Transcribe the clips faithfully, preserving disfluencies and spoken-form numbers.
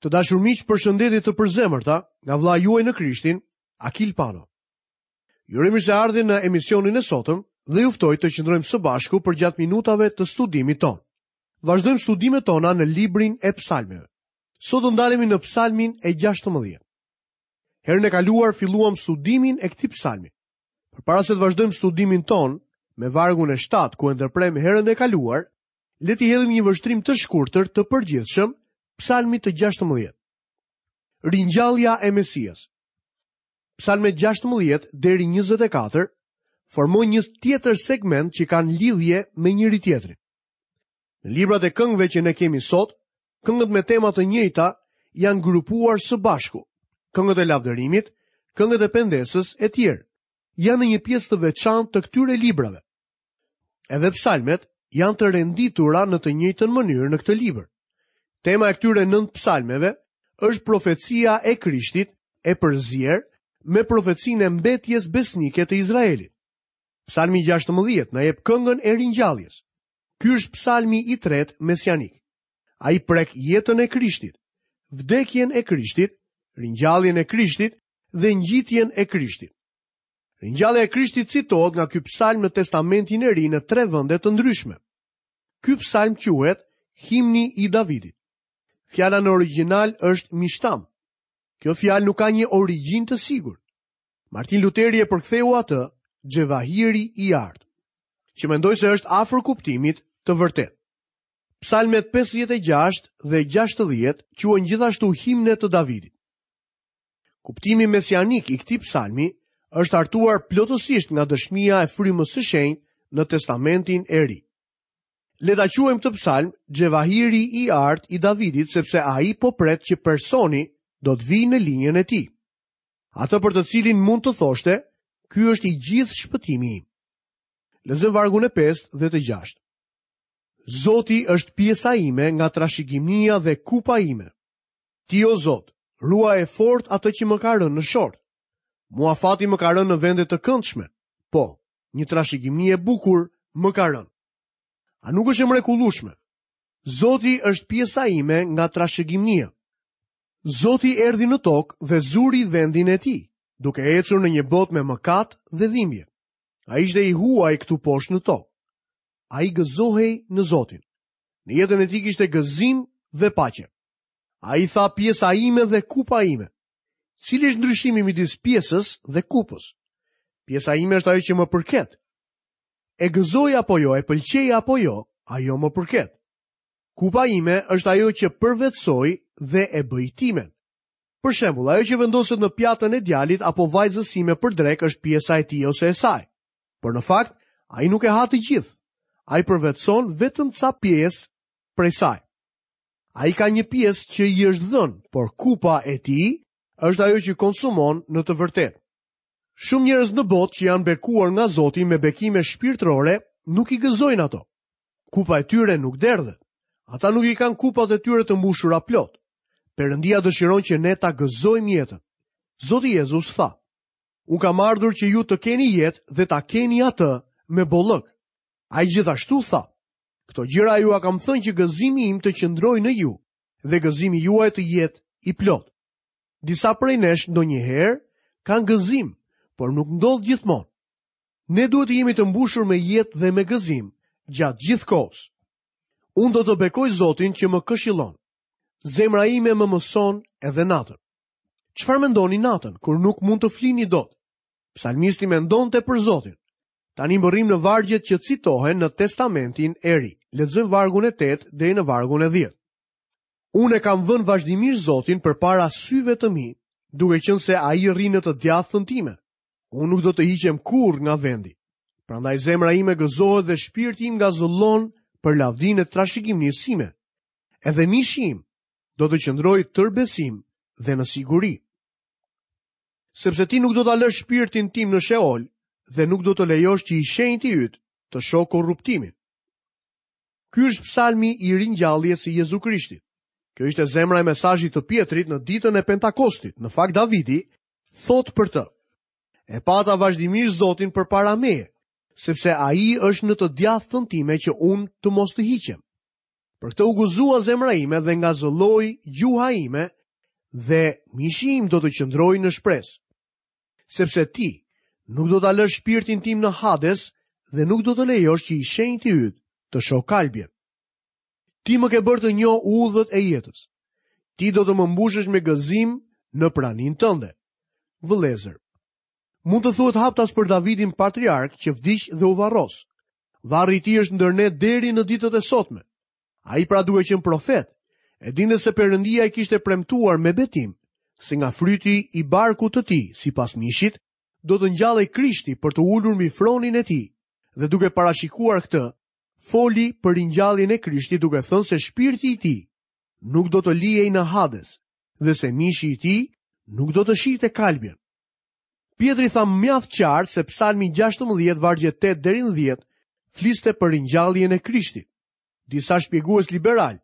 Të dashur miq, përshëndetje të përzemërta nga vëllai juaj në Krishtin, Akil Pano. Ju uroj mirëseardhje në emisionin e sotëm dhe ju ftoj të qëndrojmë së bashku përgjatë minutave të studimit tonë. Vazhdojmë studimet tona në librin e Psalmeve. Sot do ndalemi në Psalmin e gjashtëmbëdhjetë. Herën e kaluar filluam studimin e këtij psalmi. Përpara se të vazhdojmë studimin tonë me vargun e shtatë ku e ndërprem herën e kaluar, le t'i hedhim një vështrim të shkurtër të përgjithshëm Psalmit të gjashtëmbëdhjetë. Ringjallja e Mesias. Psalmet gjashtëmbëdhjetë deri njëzet e katër formojnë një tjetër segment që kanë lidhje me njëri tjetrin. Në librat e këngëve që ne kemi sot, këngët me tema të njëjta janë grupuar së bashku. Këngët e lavdërimit, këngët e pendesës e tjerë janë në një pjesë të veçantë të këtyre librave. Edhe psalmet janë të renditura në të njëjtën mënyrë në këtë libër. Tema e këtyre nëntë psalmeve është profecia e Krishtit e përzier me profecinë e mbetjes besnike të Izraelit. Psalmi gjashtëmbëdhjetë na jep këngën e ringjalljes. Ky është psalmi i tretë mesianik. Ai prek jetën e Krishtit, vdekjen e Krishtit, ringjalljen e Krishtit dhe ngjitjen e Krishtit. Ringjallja e Krishtit citohet nga ky psalm në Testamentin e Ri në tre vende të ndryshme. Ky psalm quhet Himni i Davidit. Fjala në origjinal është mishtam. Kjo fjalë nuk ka një origjinë të sigurt. Martin Luteri e përktheu atë xhevahiri i artë, që mendoj se është afër kuptimit të vërtetë. Psalmet pesëdhjetë e gjashtë dhe gjashtëdhjetë quhen gjithashtu himne të Davidit. Kuptimi mesianik i këtij psalmi është hartuar plotësisht nga dëshmia e frymës së shenjtë në Testamentin e Ri. Le ta quajmë këtë psalm xhevahiri i artë i Davidit, sepse ai po pret që personi do të vijë në linjën e tij. Atë për të cilin mund të thoshte, ky është i gjithë shpëtimi im. Lexojmë vargun e pestë dhe të gjashtë. Zoti është pjesa ime nga trashëgimia dhe kupa ime. Ti, o Zot, ruaje fort atë që më ka rënë në short. Mua fati më ka rënë në vende të këndshme. Po, një trashëgimi e bukur më ka rënë. A nuk është e mrekullueshme? Zoti është pjesa ime nga trashëgimia. Zoti erdhi në tokë dhe zuri vendin e tij, duke ecur në një botë me mëkat dhe dhimbje. Ai ishte i huaj këtu poshtë në tokë. Ai gëzohej në Zotin. Në jetën e tij kishte gëzim dhe paqe. Ai tha pjesa ime dhe kupa ime. Cili është ndryshimi midis pjesës dhe kupës? Pjesa ime është ajo që më përket. E gëzoj apo jo, e pëlqej apo jo, ajo më përket. Kupa ime është ajo që përvetësoj dhe e bëj timen. Për shembull, ajo që vendoset në pjatën e djalit apo vajzës sime për drekë është pjesa e tij ose e saj. Por në fakt, ai nuk e ha të gjithë. Ai përvetëson vetëm ca pjesë prej saj. Ai ka një pjesë që i është dhënë, por kupa e tij është ajo që konsumon në të vërtetë. Shumë njerëz në botë që janë bekuar nga Zoti me bekime shpirtërore nuk i gëzojnë ato. Kupa e tyre nuk derdhet. Ata nuk i kanë kupat e tyre të mbushura plot. Perëndia dëshiron që ne ta gëzojmë jetën. Zoti Jezus tha: Unë kam ardhur që ju të keni jetë dhe ta keni atë me bollëk. Ai gjithashtu tha: Këto gjëra jua kam thënë që gëzimi im të qëndrojë në ju dhe gëzimi juaj të jetë i plot. Disa prej nesh ndonjëherë kanë gëzim, por nuk ndodh gjithmonë. Ne duhet të jemi të mbushur me jetë dhe me gëzim gjatë gjithë kohës. Unë do të bekoj Zotin që më këshillon. Zemra ime më mëson edhe natën. Çfarë mendoni natën kur nuk mund të flini dot? Psalmisti mendonte për Zotin. Tani mbërrim në vargjet që citohen në Testamentin e Ri. Lexojmë vargun e tetë deri në vargun e dhjetë. Unë e kam vënë vazhdimisht Zotin përpara syve të mi, duke qenë se ai rri në të djathtën time. Unë nuk do të hiqem kurrë nga vendi. Prandaj zemra ime gëzohet dhe shpirti im ngazëllon për lavdinë e trashëgimisë sime. Edhe mishi im do të qëndrojë tërë besim dhe në siguri. Sepse ti nuk do ta lësh shpirtin tim në Sheol dhe nuk do të lejosh që i shenjti yt të shohë korruptimin. Ky është psalmi i ringjalljes së Jezu Krishtit. Kjo ishte zemra e mesazhit të Pietrit në ditën e Pentakostit. Në fakt Davidi thot për të: E pata vazhdimisht Zotin përpara meje, sepse ai është në të djathtën time që unë të mos të hiqem. Për këtë u gëzua zemra ime dhe ngazëlloi gjuha ime dhe mishi im do të qëndrojë në shpresë. Sepse ti nuk do ta lësh shpirtin tim në Hades dhe nuk do të lejosh që i shenjti yt të shohë kalbjen. Ti më ke bërë të njoh udhët e jetës. Ti do të më mbushësh me gëzim në praninë tënde. Vëllezër, mund të thuhet haptas për Davidin patriark që vdiq dhe u varros. Varri i tij është ndër ne deri në ditët e sotme. Ai pra duke qenë profet, e dinte se Perëndia i kishte premtuar me betim se nga fryti i barkut të tij, sipas mishit, do të ngjallej Krishti për të ulur mbi fronin e tij, dhe duke parashikuar këtë, foli për ringjalljen e Krishtit duke thënë se shpirti i tij nuk do të lihej në Hades dhe se mishi i tij nuk do të shihte kalbjen. Pjetri tha mjaft qartë se Psalmi gjashtëmbëdhjetë vargje tetë deri në dhjetë fliste për ringjalljen e Krishtit. Disa shpjegues liberal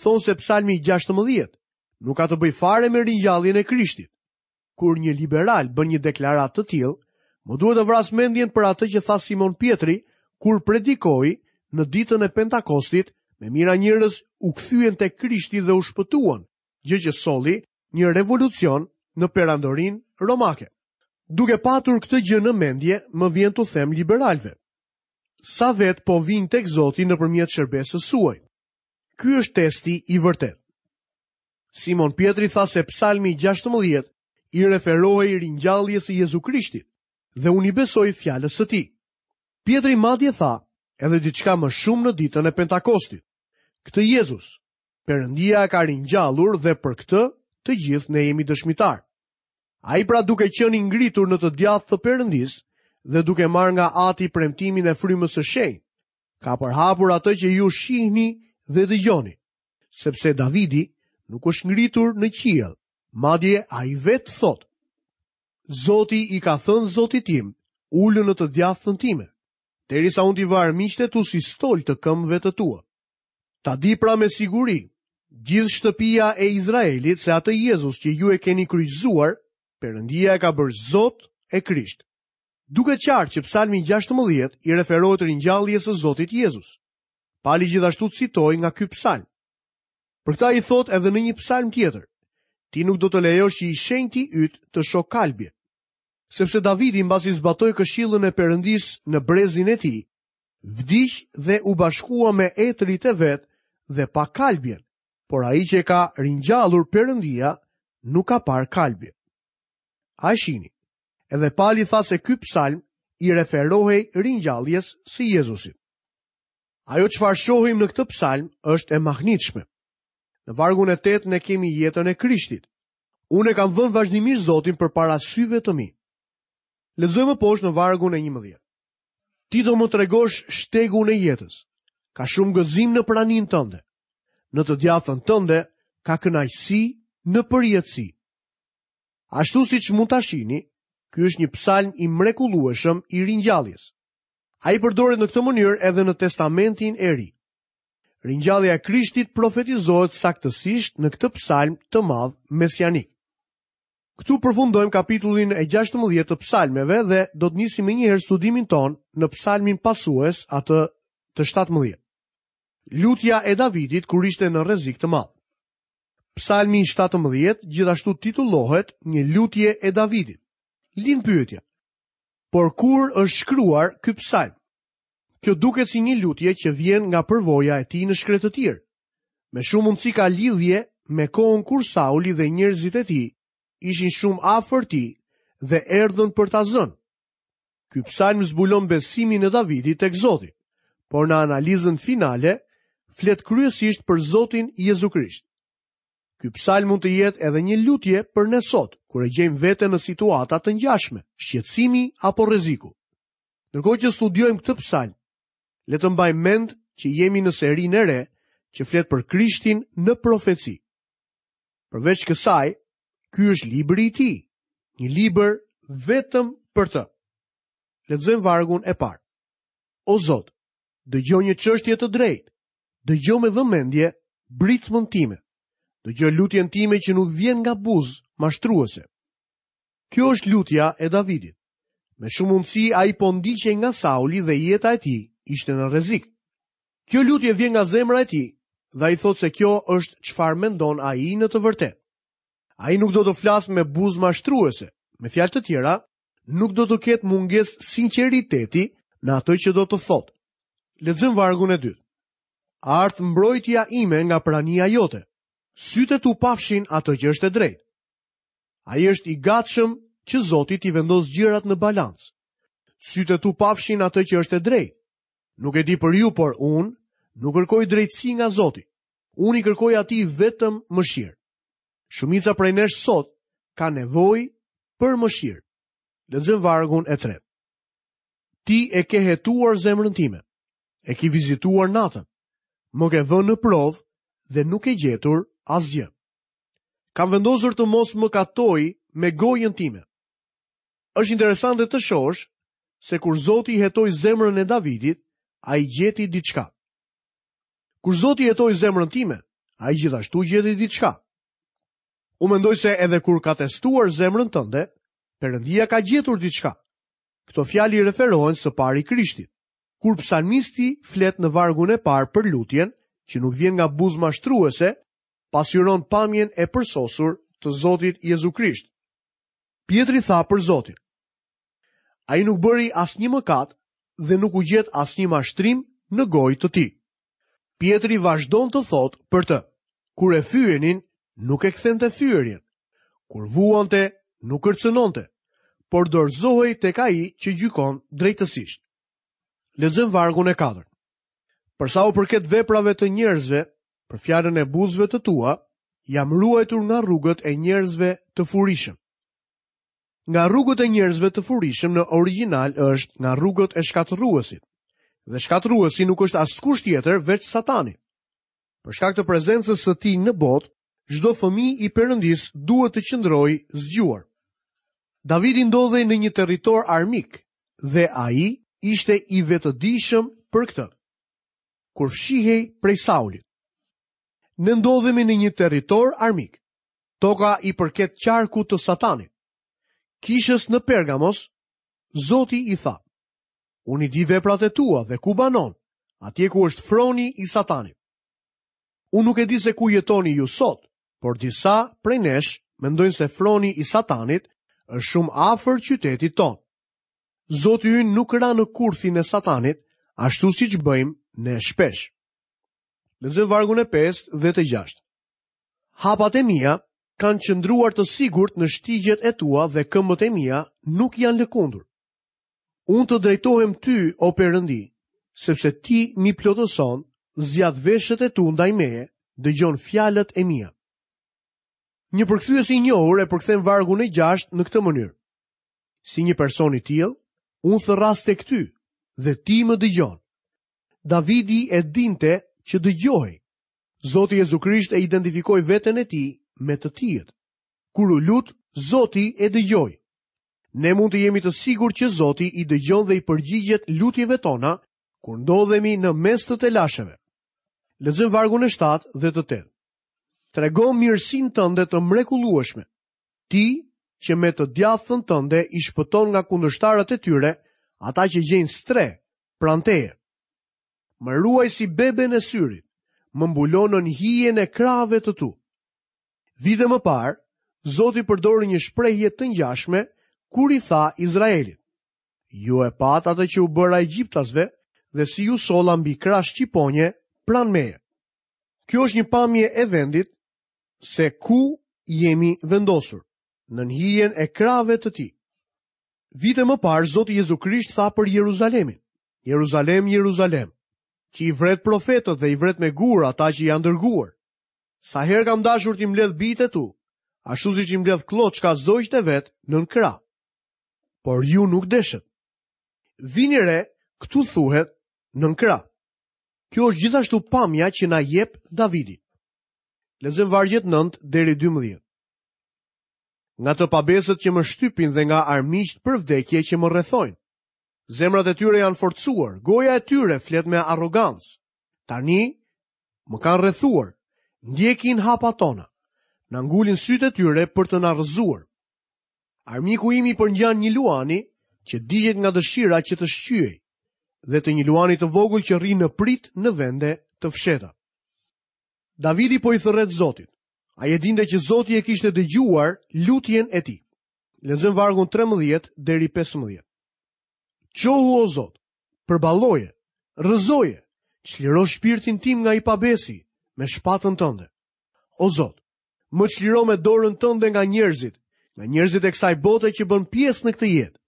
thonë se Psalmi gjashtëmbëdhjetë nuk ka të bëjë fare me ringjalljen e Krishtit. Kur një liberal bën një deklaratë të tillë, më duhet të vras mendjen për atë që tha Simon Pjetri kur predikoi në ditën e Pentakostit, me mijëra njerëz u kthyen tek Krishti dhe u shpëtuan, gjë që solli një revolucion në perandorinë romake. Duke patur këtë gjë në mendje, më vjen t'u them liberalëve: sa vet po vinë tek Zoti nëpërmjet shërbesës suaj? Ky është testi i vërtet. Simon Pjetri tha se Psalmi gjashtëmbëdhjetë i referohej ringjalljes së Jezu Krishtit dhe unë i besoj fjalës së tij. Pjetri madje tha edhe diçka më shumë në ditën e Pentakostit. Këtë Jezus, Perëndia e ka ringjallur dhe për këtë të gjithë ne jemi dëshmitar. Ai pra duke qenë i ngritur në të djathtë të Perëndisë dhe duke marrë nga Ati premtimin e frymës së shenjtë, ka përhapur atë që ju shihni dhe dëgjoni, sepse Davidi nuk është ngritur në qiell, madje ai vetë thotë: Zoti i ka thënë Zotit tim, ulu në të djathtën time, derisa unë t'i vë armiqtë tu si stol të këmbëve të tua. Ta di pra me siguri, gjithë shtëpia e Izraelit se atë Jezus që ju e keni kryqëzuar, Perëndia e ka bërë Zot e Krisht. Duket qartë që Psalmi gjashtëmbëdhjetë i referohet ringjalljes së Zotit Jezus. Pali gjithashtu citoi nga ky psalm. Për këtë ai thotë edhe në një psalm tjetër: Ti nuk do të lejosh që i shenjti yt të shohë kalbje. Sepse Davidi mbasi zbatoi këshillën e Perëndisë në brezin e tij, vdiq dhe u bashkua me etërit e vet dhe pa kalbjen, por ai që e ka ringjallur Perëndia nuk ka parë kalbje. A e shihni? Edhe Pali tha se ky psalm i referohej ringjalljes së Jezusit. Ajo çfarë shohim në këtë psalm është e mahnitshme. Në vargun e tetë ne kemi jetën e Krishtit. Unë e kam vënë vazhdimisht Zotin përpara syve të mi. Lexojmë poshtë në vargun e njëmbëdhjetë. Ti do më tregosh shtegun e jetës. Ka shumë gëzim në praninë tënde. Në të djathtën tënde ka kënaqësi në përjetësi. Ashtu siç mund ta shihni, ky është një psalm i mrekullueshëm i ringjalljes. Ai përdoret në këtë mënyrë edhe në Testamentin e Ri. Ringjallja e Krishtit profetizohet saktësisht në këtë psalm të madh mesianik. Këtu përfundojmë kapitullin e gjashtëmbëdhjetë të psalmeve dhe do të nisim më njëherë studimin ton në psalmin pasues, atë të shtatëmbëdhjetë. Lutja e Davidit kur ishte në rrezik të madh. Psalmi shtatëmbëdhjetë gjithashtu titullohet një lutje e Davidit. Lind pyetja: por kur është shkruar ky psalm? Kjo duket si një lutje që vjen nga përvoja e tij në shkretëtirë. Me shumë mundësi ka lidhje me kohën kur Sauli dhe njerëzit e tij ishin shumë afër tij dhe erdhën për ta zënë. Ky psalm zbulon besimin e Davidit tek Zoti, por në analizën finale flet kryesisht për Zotin Jezu Krisht. Ky psalm mund të jetë edhe një lutje për ne sot, kur e gjejmë veten në situata të ngjashme, shqetësimi apo rreziku. Ndërkohë që studiojmë këtë psalm, le të mbajmë mend që jemi në serinë e re që flet për Krishtin në profeci. Përveç kësaj, ky është libri i tij, një libër vetëm për të. Lexojmë vargun e parë. O Zot, dëgjoj një çështje të drejtë, dëgjoj me vëmendje britmën time. Dëgjoj lutjen time që nuk vjen nga buzë mashtruese. Kjo është lutja e Davidit. Me shumë mundësi ai po ndiqej nga Sauli dhe jeta e tij ishte në rrezik. Kjo lutje vjen nga zemra e tij dhe ai thotë se kjo është çfarë mendon ai në të vërtetë. Ai nuk do të flasë me buzë mashtruese, me fjalë të tjera, nuk do të ketë mungesë sinqeriteti në atë që do të thotë. Lexojmë vargun e dytë. Ardhtë mbrojtja ime nga prania jote. Sytë e tu pafshin atë që është e drejtë. Ai është i gatshëm që Zoti t'i vendosë gjërat në balancë. Sytë e tu pafshin atë që është e drejtë. Nuk e di për ju, por unë nuk kërkoj drejtësi nga Zoti. Unë i kërkoj atij vetëm mëshirë. Shumica prej nesh sot ka nevojë për mëshirë. Lexojmë vargun e tretë. Ti e ke hetuar zemrën time. E ke vizituar natën. Më ke vënë në provë dhe nuk ke gjetur asgjë. Kam vendosur të mos mëkatoj me gojën time. Është interesante të shohësh se kur Zoti hetoi zemrën e Davidit, ai gjeti diçka. Kur Zoti hetoi zemrën time, ai gjithashtu gjeti diçka. Unë mendoj se edhe kur ka testuar zemrën tënde, Perëndia ka gjetur diçka. Këto fjalë i referohen së pari Krishtit. Kur psalmisti flet në vargun e parë për lutjen, që nuk vjen nga buzë mashtruese, pasqyron pamjen e përsosur të Zotit Jezu Krisht. Pjetri tha për Zotin: Ai nuk bëri asnjë mëkat dhe nuk u gjet asnjë mashtrim në gojë të tij. Pjetri vazhdon të thotë për të: Kur e fyenin, nuk e kthente fyerjen. Kur vuante, nuk kërcënonte, por dorëzohej tek ai që gjykon drejtësisht. Lexojmë vargun e katërt. Për sa u përket veprave të njerëzve, për fjalën e buzëve të tua, jam ruajtur nga rrugët e njerëzve të furishëm. Nga rrugët e njerëzve të furishëm në origjinal është nga rrugët e shkatërruesit. Dhe shkatërruesi nuk është askush tjetër veç Satani. Për shkak të prezencës së tij në botë, çdo fëmijë i Perëndisë duhet të qëndrojë zgjuar. Davidi ndodhej në një territor armik dhe ai ishte i vetëdijshëm për këtë. Kur fshihej prej Saulit. Ne ndodhemi në një territor armik. Toka i përket qarkut të Satanit. Kishës në Pergamos, Zoti i tha: Unë i di veprat e tua dhe ku banon, atje ku është froni i Satanit. Unë nuk e di se ku jetoni ju sot, por disa prej nesh mendojnë se froni i Satanit është shumë afër qytetit tonë. Zoti ynë nuk ra në kurthin e Satanit, ashtu siç bëjmë ne shpesh. Lexojmë vargun e pestë dhe të gjashtë. Hapat e mia kanë qëndruar të sigurt në shtigjet e tua dhe këmbët e mia nuk janë lëkundur. Unë të drejtohem ty, o Perëndi, sepse ti mi plotëson, zgjat veshët e tu ndaj meje, dëgjon fjalët e mia. Një përkthyes i njohur e përkthen vargun e gjashtë në këtë mënyrë. Si një person i tillë, unë thërras tek ty dhe ti më dëgjon. Davidi e dinte që dëgjohej. Zoti Jezu Krisht e identifikoi veten e tij me të tijët. Kur u lut, Zoti e dëgjoi. Ne mund të jemi të sigurt që Zoti i dëgjon dhe i përgjigjet lutjeve tona kur ndodhemi në mes të telasheve. Lexojmë vargun e shtatë dhe të tetë. Trego mirësinë tënde të mrekullueshme. Ti që me të djathtën tënde i shpëton nga kundërshtarët e tyre, ata që gjejnë strehë pranë teje. Më ruaj si beben e syrit, më mbulon nën hijen e krahëve të tu. Vite më parë, Zoti përdori një shprehje të ngjashme kur i tha Izraelit: Ju e patë atë që u bëra egjiptasve dhe si ju solla mbi krah shqiponje pranë meje. Kjo është një pamje e vendit se ku jemi vendosur, nën hijen e krahëve të tij. Vite më parë, Zoti Jezu Krisht tha për Jeruzalemin: Jeruzalem, Jeruzalem, që i vret profetët dhe i vret me gur ata që janë dërguar. Sa herë kam dashur t'i mbledh bijtë e tu, ashtu siç i mbledh klloçka zogjtë e vet nën krah. Por ju nuk deshët. Vini re, këtu thuhet nën krah. Kjo është gjithashtu pamja që na jep Davidi. Lexojmë vargjet nëntë deri dymbëdhjetë. Nga të pabesët që më shtypin dhe nga armiqtë për vdekje që më rrethojnë. Zemrat e tyre janë forcuar, goja e tyre flet me arrogancë. Tani më kanë rrethuar, ndjekin hapat tona, na ngulin sytë e tyre për të na rrëzuar. Armiku im i përngjan një luani që digjet nga dëshira që të shqyej, dhe të një luani të vogël që rri në pritë në vende të fshehta. Davidi po i thërret Zotit. Ai e dinte që Zoti e kishte dëgjuar lutjen e tij. Lexojmë vargun trembëdhjetë deri pesëmbëdhjetë. Çohu o Zot, përballoje, rrëzoje, çliro shpirtin tim nga i pabesi me shpatën tënde. O Zot, më çliro me dorën tënde nga njerëzit, nga njerëzit e kësaj bote që bën pjesë në këtë jetë,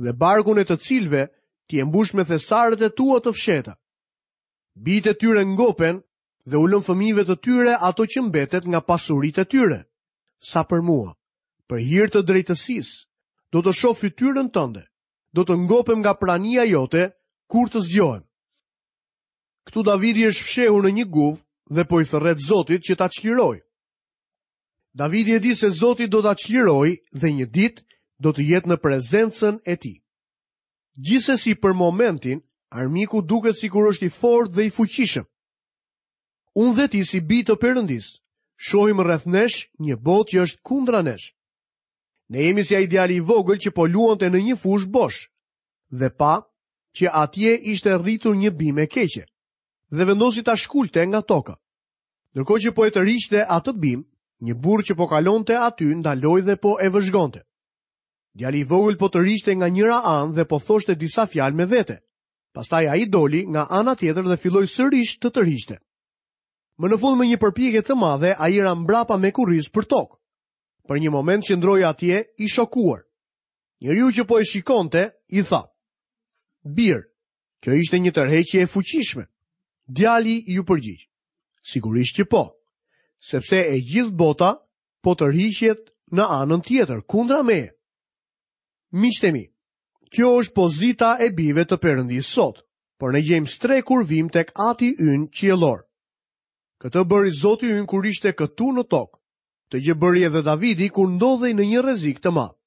dhe barkun e të cilëve ti e mbush me thesaret e tua të fshehta. Bijtë e tyre ngopen dhe u lën fëmijëve të tyre ato që mbetet nga pasuritë e tyre. Sa për mua, për hir të drejtësisë, do të shoh fytyrën tënde, do të ngopem nga prania jote kur të zgjohem. Këtu Davidi është fshehur në një guvë dhe po i thërret Zotit që ta çlirojë. Davidi e di se Zoti do ta çlirojë dhe një ditë do të jetë në prezencën e tij. Gjithsesi për momentin, armiku duket sikur është i fortë dhe i fuqishëm. Unë dhe ti si bij të Perëndis, shohim rreth nesh një botë që është kundra nesh. Ne jemi si ai djali i vogël që po luante në një fushë bosh dhe pa që atje ishte rritur një bimë e keqe dhe vendosi ta shkulte nga toka. Ndërkohë që po e tërhiqte atë bimë, një burrë që po kalonte aty ndaloi dhe po e vëzhgonte. Djali i vogël po tërhiqte nga njëra anë dhe po thoshte disa fjalë me vete. Pastaj ai doli nga ana tjetër dhe filloi sërish të tërhiqte. Më në fund me një përpjekje të madhe, ai ra mbrapa me kurriz për tokë. Për një moment qëndroi atje i shokuar. Njeriu që po e shikonte i tha: "Bir, kjo ishte një tërheqje e fuqishme." Djali iu përgjigj: "Sigurisht që po, sepse e gjithë bota po tërhiqet në anën tjetër, kundra meje." Miqtë e mi, kjo është pozita e bijve të Perëndisë sot, por ne gjejmë strehë kur vim tek Ati ynë qiellor. Këtë bëri Zoti ynë kur ishte këtu në tokë. Këtë gjë bëri edhe Davidi kur ndodhej në një rrezik të madh.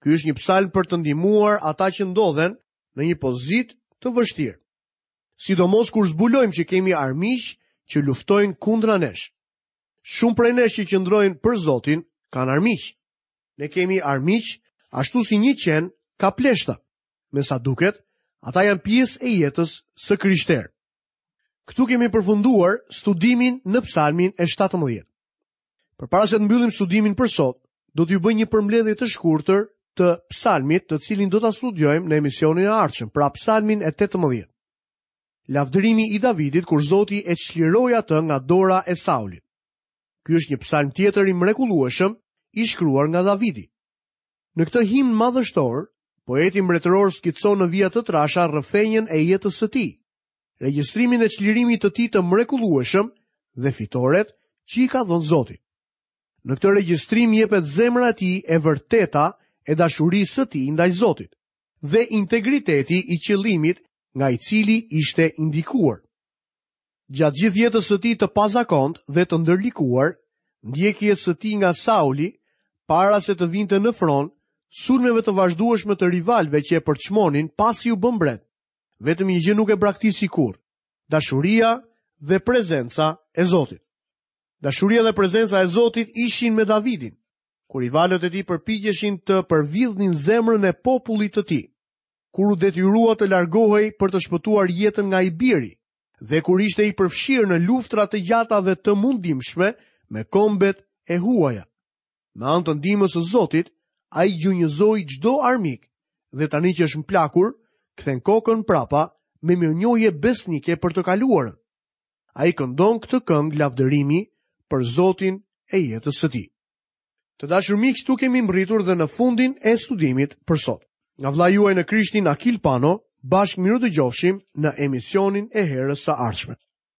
Ky është një psalm për të ndihmuar ata që ndodhen në një pozitë të vështirë. Sidomos kur zbulojmë që kemi armiq që luftojnë kundra nesh. Shumë prej nesh që qëndrojnë për Zotin kanë armiq. Ne kemi armiq ashtu si një qen ka pleshta. Me sa duket, ata janë pjesë e jetës së krishterë. Këtu kemi përfunduar studimin në psalmin e shtatëmbëdhjetë. Përpara se të mbyllim studimin për sot, do t'ju bëj një përmbledhje të shkurtër të psalmit, të cilin do ta studiojmë në emisionin e ardhshëm, pra psalmin e tetëmbëdhjetë. Lavdërimi i Davidit kur Zoti e çliroi atë nga dora e Saulit. Ky është një psalm tjetër i mrekullueshëm i shkruar nga Davidi. Në këtë himn madhështor, poeti mbretëror skicon në vija të trasha rrëfenjën e jetës së tij, regjistrimin e çlirimit të tij të mrekullueshëm dhe fitoret që i ka dhënë Zoti. Në këtë regjistrim jepet zemra e tij e vërteta e dashurisë së tij ndaj Zotit dhe integriteti i qëllimit nga i cili ishte indikuar. Gjatë gjithë jetës së tij të pazakont dhe të ndërlikuar, ndjekjes së tij nga Sauli, para se të vinte në fron, sulmeve të vazhdueshme të rivalëve që e përçmonin pasi u bë mbret, vetëm një gjë nuk e braktisi kurrë: dashuria dhe prezenca e Zotit. Dashuria dhe prezenca e Zotit ishin me Davidin, kur rivalët e tij përpiqeshin të përvidhnin zemrën e popullit të tij, kur u detyrua të largohej për të shpëtuar jetën nga i biri, dhe kur ishte i përfshirë në luftra të gjata dhe të mundimshme me kombet e huaja. Me anë të ndihmës së Zotit, ai gjunjëzoi çdo armik dhe tani që është mplakur, kthen kokën prapa me mirënjohje besnike për të kaluarën. Ai këndon këtë këngë lavdërimi për Zotin e jetës së tij. Të dashur miq, këtu kemi mbërritur dhe në fundin e studimit për sot. Nga vëllai juaj në Krishtin Akil Pano, bashkë mirudëgjofshim në emisionin e herës së ardhshme.